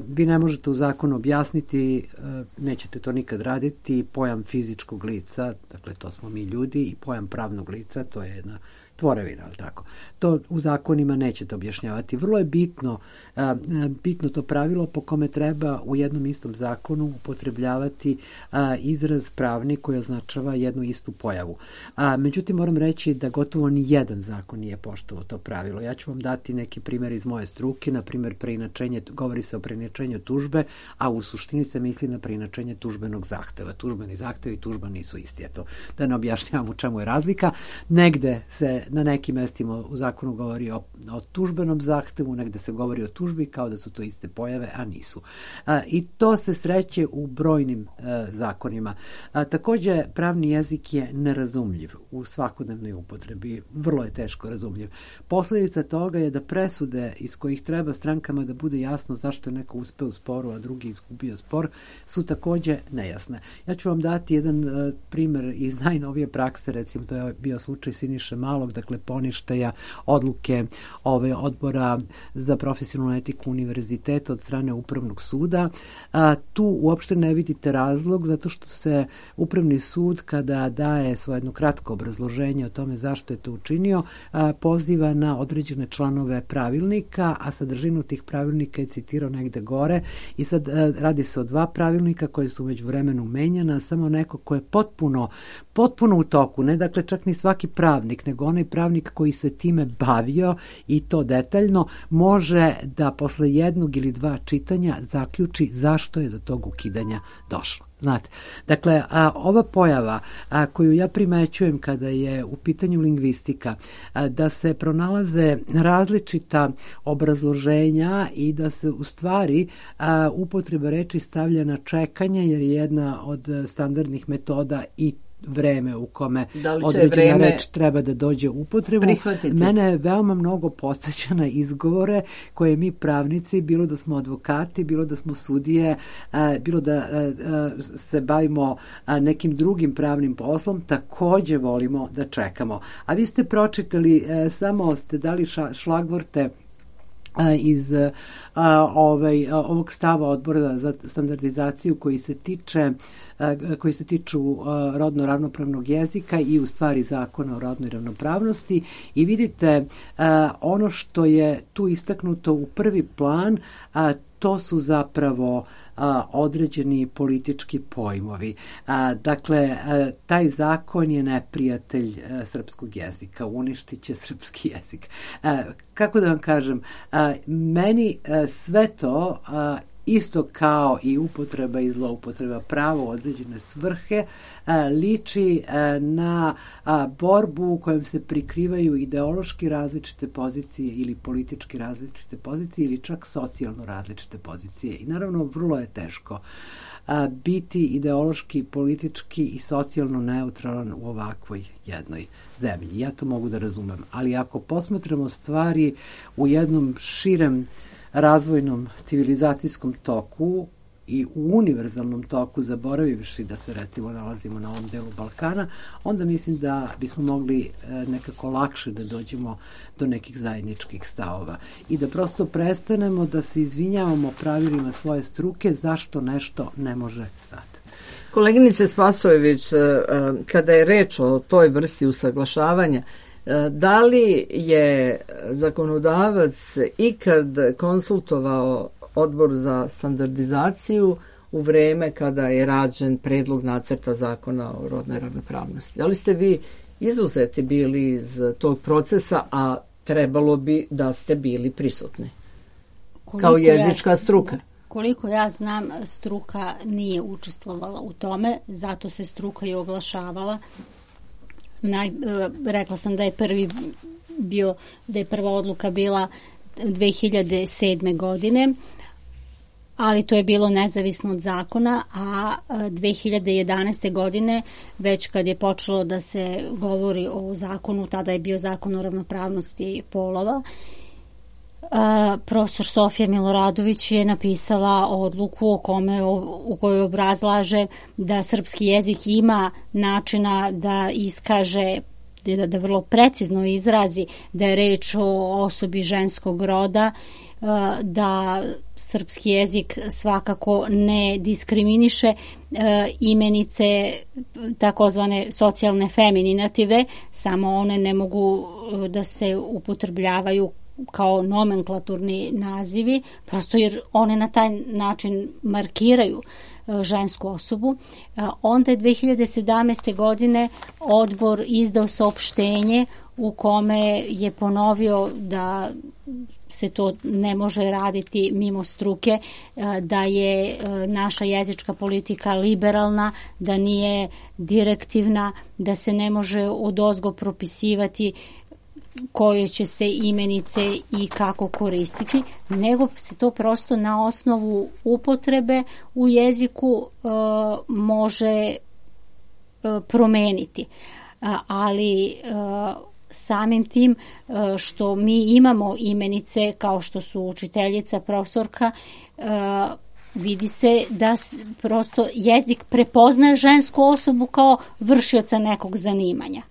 Vi ne možete u zakonu objasniti, nećete to nikad raditi, pojam fizičkog lica, dakle to smo mi ljudi, i pojam pravnog lica, to je jedna tvorevina, ali tako. To u zakonima nećete objašnjavati. Vrlo je bitno, a, bitno to pravilo po kome treba u jednom istom zakonu upotrebljavati a, izraz pravni koji označava jednu istu pojavu. A, međutim, moram reći da gotovo ni jedan zakon nije poštovao to pravilo. Ja ću vam dati neki primjer iz moje struke, na primjer preinačenje, govori se o preinačenju tužbe, a u suštini se misli na preinačenje tužbenog zahteva. Tužbeni zahtev i tužba nisu isti. Eto, da ne objašnjavam u čemu je razlika. Negde se na nekim mestima u zakonu govori o, o tužbenom zahtevu, negde se govori o tužbi kao da su to iste pojave, a nisu. A, I to se sreće u brojnim a, zakonima. A, takođe, pravni jezik je nerazumljiv u svakodnevnoj upotrebi. Vrlo je teško razumljiv. Posledica toga je da presude iz kojih treba strankama da bude jasno zašto zašto je neko uspeo u sporu, a drugi izgubio spor, su takođe nejasne. Ja ću vam dati jedan uh, primer iz najnovije prakse, recimo to je bio slučaj Siniše Malog, dakle poništaja odluke ove odbora za profesionalnu etiku univerziteta od strane Upravnog suda. A, tu uopšte ne vidite razlog, zato što se Upravni sud, kada daje svoje jedno kratko obrazloženje o tome zašto je to učinio, a, poziva na određene članove pravilnika, a sadržinu tih pravilnika je citirao negde gore i sad a, radi se o dva pravilnika koje su već vremenu menjana, samo neko ko je potpuno, potpuno u toku, ne dakle čak ni svaki pravnik, nego onaj pravnik koji se time bavio i to detaljno, može da posle jednog ili dva čitanja zaključi zašto je do tog ukidanja došlo. Znate, dakle, a, ova pojava a, koju ja primećujem kada je u pitanju lingvistika, a, da se pronalaze različita obrazloženja i da se u stvari a, upotreba reči stavlja na čekanje, jer je jedna od standardnih metoda i vreme u kome da određena reč treba da dođe u upotrebu. Prihvatiti. Mene je veoma mnogo podsjeća na izgovore koje mi pravnici, bilo da smo advokati, bilo da smo sudije, bilo da se bavimo nekim drugim pravnim poslom, takođe volimo da čekamo. A vi ste pročitali, samo ste dali šlagvorte iz ovaj, ovog stava odbora za standardizaciju koji se tiče koji se tiču rodno ravnopravnog jezika i u stvari zakona o rodnoj ravnopravnosti i vidite ono što je tu istaknuto u prvi plan, to su zapravo a, određeni politički pojmovi. A, dakle, a, taj zakon je neprijatelj a, srpskog jezika, uništit će srpski jezik. A, kako da vam kažem, a, meni a, sve to a, isto kao i upotreba i zloupotreba prava u određene svrhe, liči na borbu u kojem se prikrivaju ideološki različite pozicije ili politički različite pozicije ili čak socijalno različite pozicije. I naravno vrlo je teško biti ideološki, politički i socijalno neutralan u ovakvoj jednoj zemlji. Ja to mogu da razumem. Ali ako posmatramo stvari u jednom širem razvojnom civilizacijskom toku i u univerzalnom toku, zaboravivši da se recimo nalazimo na ovom delu Balkana, onda mislim da bismo mogli nekako lakše da dođemo do nekih zajedničkih stavova i da prosto prestanemo da se izvinjavamo pravilima svoje struke zašto nešto ne može sad. Koleginice Spasojević, kada je reč o toj vrsti usaglašavanja, da li je zakonodavac ikad konsultovao Odbor za standardizaciju u vreme kada je rađen predlog nacrta zakona o rodnoj ravnopravnosti? Da li ste vi izuzeti bili iz tog procesa, a trebalo bi da ste bili prisutni koliko kao jezička struka? Ja, koliko ja znam, struka nije učestvovala u tome, zato se struka i oglašavala. Naj, rekla sam da je prvi bio, da je prva odluka bila dve hiljade sedme godine, ali to je bilo nezavisno od zakona, a dve hiljade jedanaeste godine, već kad je počelo da se govori o zakonu, tada je bio zakon o ravnopravnosti polova, a, profesor Sofija Miloradović je napisala odluku o kome, o, u kojoj obrazlaže da srpski jezik ima načina da iskaže, da, da vrlo precizno izrazi da je reč o osobi ženskog roda, da srpski jezik svakako ne diskriminiše imenice takozvane socijalne femininative, samo one ne mogu da se upotrebljavaju kao nomenklaturni nazivi, prosto jer one na taj način markiraju žensku osobu. Onda je dve hiljade sedamnaeste. godine odbor izdao saopštenje u kome je ponovio da se to ne može raditi mimo struke, da je naša jezička politika liberalna, da nije direktivna, da se ne može odozgo propisivati koje će se imenice i kako koristiti, nego se to prosto na osnovu upotrebe u jeziku uh, može uh, promeniti. Uh, ali uh, samim tim uh, što mi imamo imenice kao što su učiteljica, profesorka, vidi se da prosto jezik prepoznaje žensku osobu kao vršioca nekog zanimanja.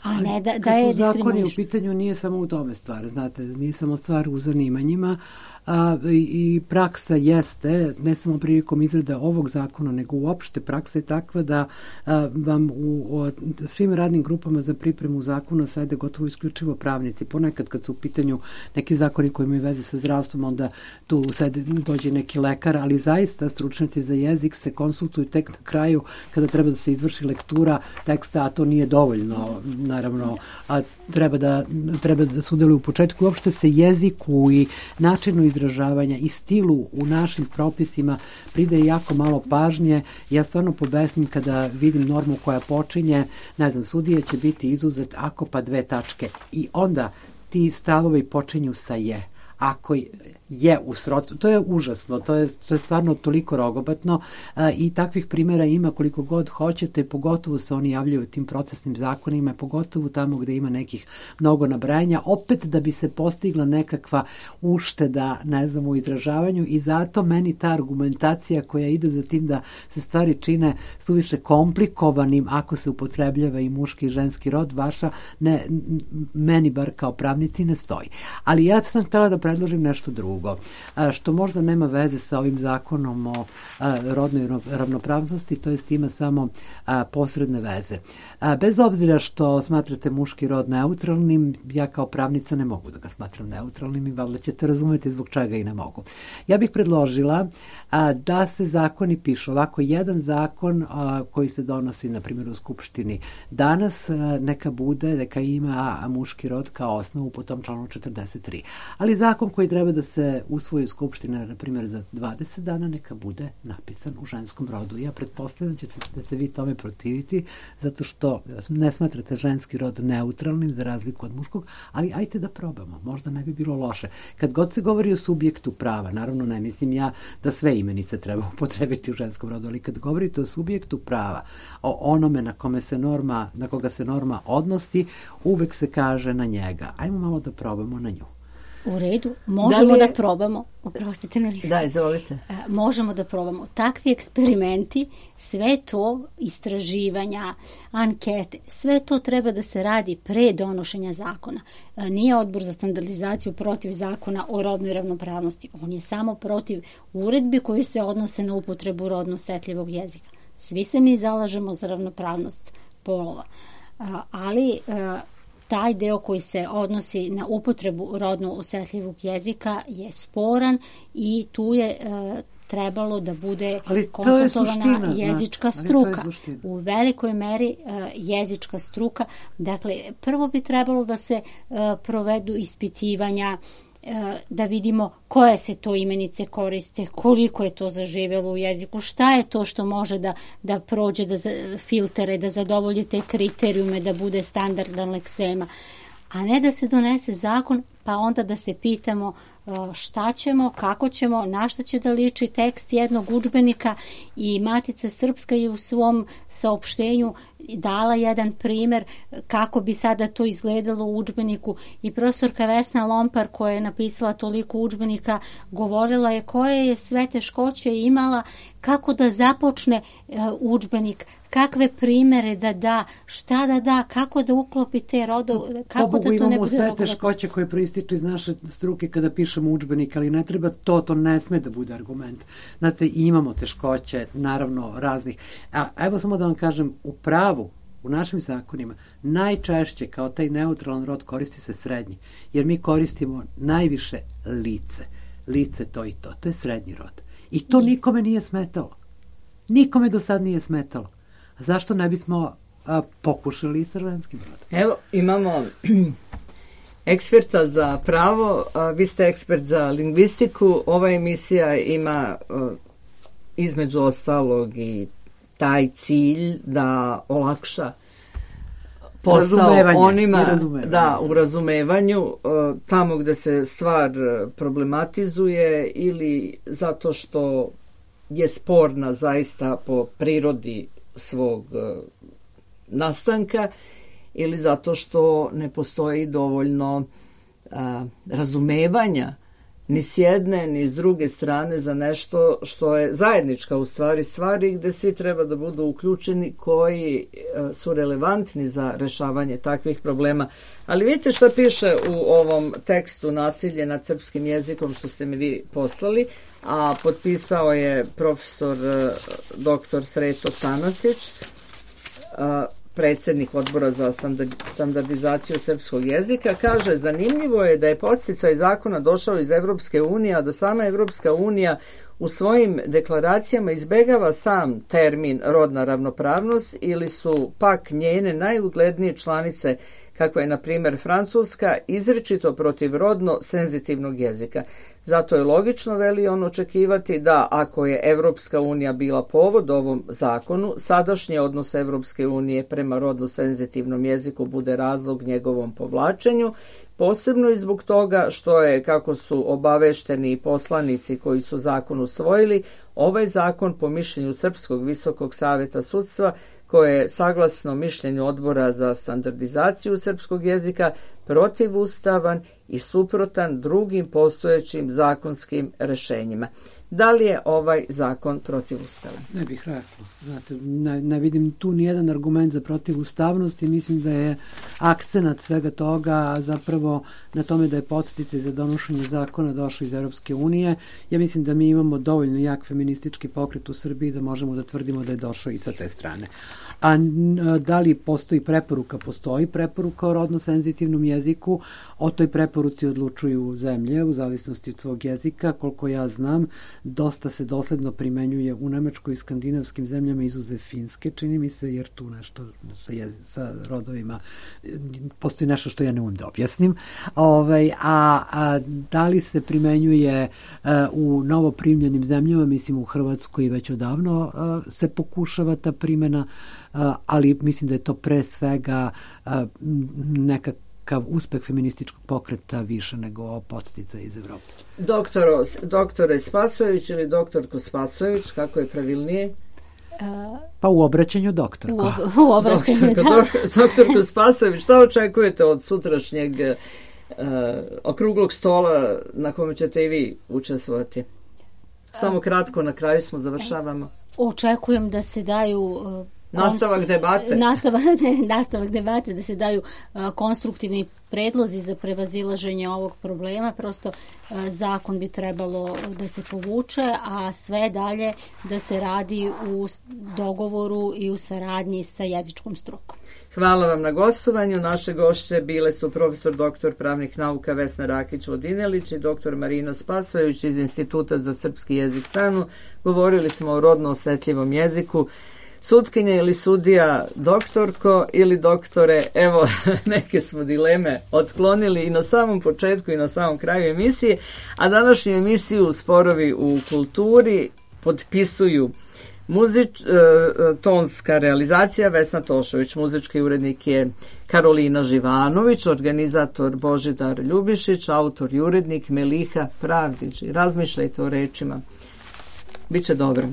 A ne da, da je diskriminaš. Kad su zakoni u pitanju, nije samo u tome stvar, znate, nije samo stvar u zanimanjima, a, i, i praksa jeste, ne samo prilikom izrade ovog zakona, nego uopšte praksa je takva da a, vam u o, svim radnim grupama za pripremu zakona sede gotovo isključivo pravnici. Ponekad kad su u pitanju neki zakoni koji imaju veze sa zdravstvom, onda tu sede, dođe neki lekar, ali zaista stručnjaci za jezik se konsultuju tek na kraju kada treba da se izvrši lektura teksta, a to nije dovoljno, naravno, a treba da, treba da sudjeluju u početku. Uopšte se jeziku i načinu izražavanja i stilu u našim propisima pridaje jako malo pažnje. Ja stvarno pobesnim kada vidim normu koja počinje, ne znam, sudija će biti izuzet ako pa dve tačke. I onda ti stavovi počinju sa je. Ako je u srodstvu, to je užasno, to je, to je stvarno toliko rogobatno a, i takvih primjera ima koliko god hoćete, pogotovo se oni javljaju tim procesnim zakonima, pogotovo tamo gde ima nekih mnogo nabrajanja, opet da bi se postigla nekakva ušteda, ne znam, u izražavanju, i zato meni ta argumentacija koja ide za tim da se stvari čine suviše komplikovanim ako se upotrebljava i muški i ženski rod, vaša, ne, meni bar kao pravnici ne stoji. Ali ja sam htjela da predložim nešto drugo, što možda nema veze sa ovim zakonom o rodnoj ravnopravnosti, to jest ima samo posredne veze. Bez obzira što smatrate muški rod neutralnim, ja kao pravnica ne mogu da ga smatram neutralnim i valjda ćete razumeti zbog čega i ne mogu. Ja bih predložila da se zakoni pišu ovako, jedan zakon koji se donosi, na primjer, u Skupštini danas, neka bude, neka ima muški rod kao osnovu po tom članu četrdeset tri. Ali zakon koji treba da se usvoji u Skupštini, na primjer, za dvadeset dana, neka bude napisan u ženskom rodu. Ja pretpostavljam će se, da se vi tome protiviti, zato što ne smatrate ženski rod neutralnim za razliku od muškog, ali ajte da probamo, možda ne bi bilo loše. Kad god se govori o subjektu prava, naravno ne mislim ja da sve imenice treba upotrebiti u ženskom rodu, ali kad govorite o subjektu prava, o onome na kome se norma, na koga se norma odnosi, uvek se kaže na njega. Ajmo malo da probamo na nju. U redu, možemo da, je... da probamo, oprostite mi. Da, izvolite. Možemo da probamo. Takvi eksperimenti, sve to, istraživanja, ankete, sve to treba da se radi pre donošenja zakona. Nije Odbor za standardizaciju protiv zakona o rodnoj ravnopravnosti. On je samo protiv uredbi koji se odnose na upotrebu rodno osetljivog jezika. Svi se mi zalažemo za ravnopravnost polova, ali taj deo koji se odnosi na upotrebu rodno osetljivog jezika je sporan i tu je e, trebalo da bude konsultovana jezička znači, struka. U velikoj meri e, jezička struka. Dakle, prvo bi trebalo da se e, provedu ispitivanja, da vidimo koje se to imenice koriste, koliko je to zaživjelo u jeziku, šta je to što može da, da prođe da filtere, da zadovolji te kriterijume, da bude standardan leksema, a ne da se donese zakon pa onda da se pitamo šta ćemo, kako ćemo, na šta će da liči tekst jednog udžbenika. I Matica Srpska je u svom saopštenju dala jedan primer kako bi sada to izgledalo u udžbeniku, i profesorka Vesna Lompar, koja je napisala toliko udžbenika, govorila je koje je sve teškoće imala, kako da započne uh, udžbenik, kakve primere da da, šta da da, kako da uklopi te rodove, kako Pobogu, da to ne bude sve rogovatno. Teškoće koje proističu iz naše struke kada pišemo udžbenik, ali ne treba to, to ne sme da bude argument. Znate, imamo teškoće, naravno, raznih. A evo samo da vam kažem, u pravu, u našim zakonima, najčešće kao taj neutralan rod koristi se srednji, jer mi koristimo najviše lice. Lice to i to. To je srednji rod. I to yes. nikome nije smetalo. Nikome do sad nije smetalo. A zašto ne bismo a, pokušali i sa ženskim rodom? Evo, imamo eksperta za pravo, a vi ste ekspert za lingvistiku. Ova emisija ima a, između ostalog i taj cilj da olakša posao onima da, u razumevanju, tamo gde se stvar problematizuje ili zato što je sporna zaista po prirodi svog nastanka, ili zato što ne postoji dovoljno a, razumevanja ni s jedne ni s druge strane za nešto što je zajednička u stvari stvari gde svi treba da budu uključeni koji su relevantni za rešavanje takvih problema. Ali vidite šta piše u ovom tekstu Nasilje nad srpskim jezikom što ste mi vi poslali, a potpisao je profesor doktor Sreto Tanasić, predsjednik odbora za standardizaciju srpskog jezika. Kaže, zanimljivo je da je podsticaj zakona došao iz Evropske unije, a da sama Evropska unija u svojim deklaracijama izbegava sam termin rodna ravnopravnost ili su pak njene najuglednije članice, kako je na primjer Francuska, izričito protiv rodno senzitivnog jezika. Zato je logično, veli on, očekivati da ako je Evropska unija bila povod ovom zakonu, sadašnji odnos Evropske unije prema rodno senzitivnom jeziku bude razlog njegovom povlačenju, posebno i zbog toga što je, kako su obavešteni poslanici koji su zakon usvojili, ovaj zakon po mišljenju Srpskog visokog saveta sudstva, koje je saglasno mišljenju odbora za standardizaciju srpskog jezika protivustavan i suprotan drugim postojećim zakonskim rešenjima. Da li je ovaj zakon protivustavan? Ne bih rekla. Znate, ne, ne vidim tu nijedan argument za protivustavnost i mislim da je akcenat svega toga zapravo na tome da je podsticaj za donošenje zakona došao iz Europske unije. Ja mislim da mi imamo dovoljno jak feministički pokret u Srbiji da možemo da tvrdimo da je došao i sa te strane. A da li postoji preporuka? Postoji preporuka o rodno senzitivnom jeziku. O toj preporuci odlučuju zemlje u zavisnosti od svog jezika. Koliko ja znam, dosta se dosledno primenjuje u Nemačkoj i skandinavskim zemljama izuzev Finske, čini mi se, jer tu nešto sa, jez, sa rodovima postoji nešto što ja ne umem da objasnim. Ovaj, a, a da li se primenjuje a, u novoprimljenim zemljama, mislim u Hrvatskoj već odavno a, se pokušava ta primjena, a, ali mislim da je to pre svega a, nekak kao uspeh feminističkog pokreta više nego podstica iz Evrope. Doktoro, doktore Spasojević ili doktorko Spasojević, kako je pravilnije? Pa u obraćanju doktorko. U, u obraćanju, doktorko, da. Doktorko Spasojević, šta očekujete od sutrašnjeg uh, okruglog stola na kome ćete i vi učestvovati? Samo kratko, na kraju smo, završavamo. Očekujem da se daju uh, Nastavak debate. Nastavak, ne, nastavak debate, da se daju a, konstruktivni predlozi za prevazilaženje ovog problema. Prosto a, zakon bi trebalo da se povuče, a sve dalje da se radi u dogovoru i u saradnji sa jezičkom strukom. Hvala vam na gostovanju. Naše gošće bile su profesor doktor pravnih nauka Vesna Rakić-Vodinelić i doktor Marina Spasojević iz Instituta za srpski jezik SANU. Govorili smo o rodno osetljivom jeziku. Sutkinja ili sudija, doktorko ili doktore, evo neke smo dileme otklonili i na samom početku i na samom kraju emisije, a današnju emisiju Sporovi u kulturi potpisuju muzič, e, tonska realizacija Vesna Tošović, muzički urednik je Karolina Živanović, organizator Božidar Ljubišić, autor i urednik Meliha Pravdić. Razmišljajte o rečima. Biće dobro.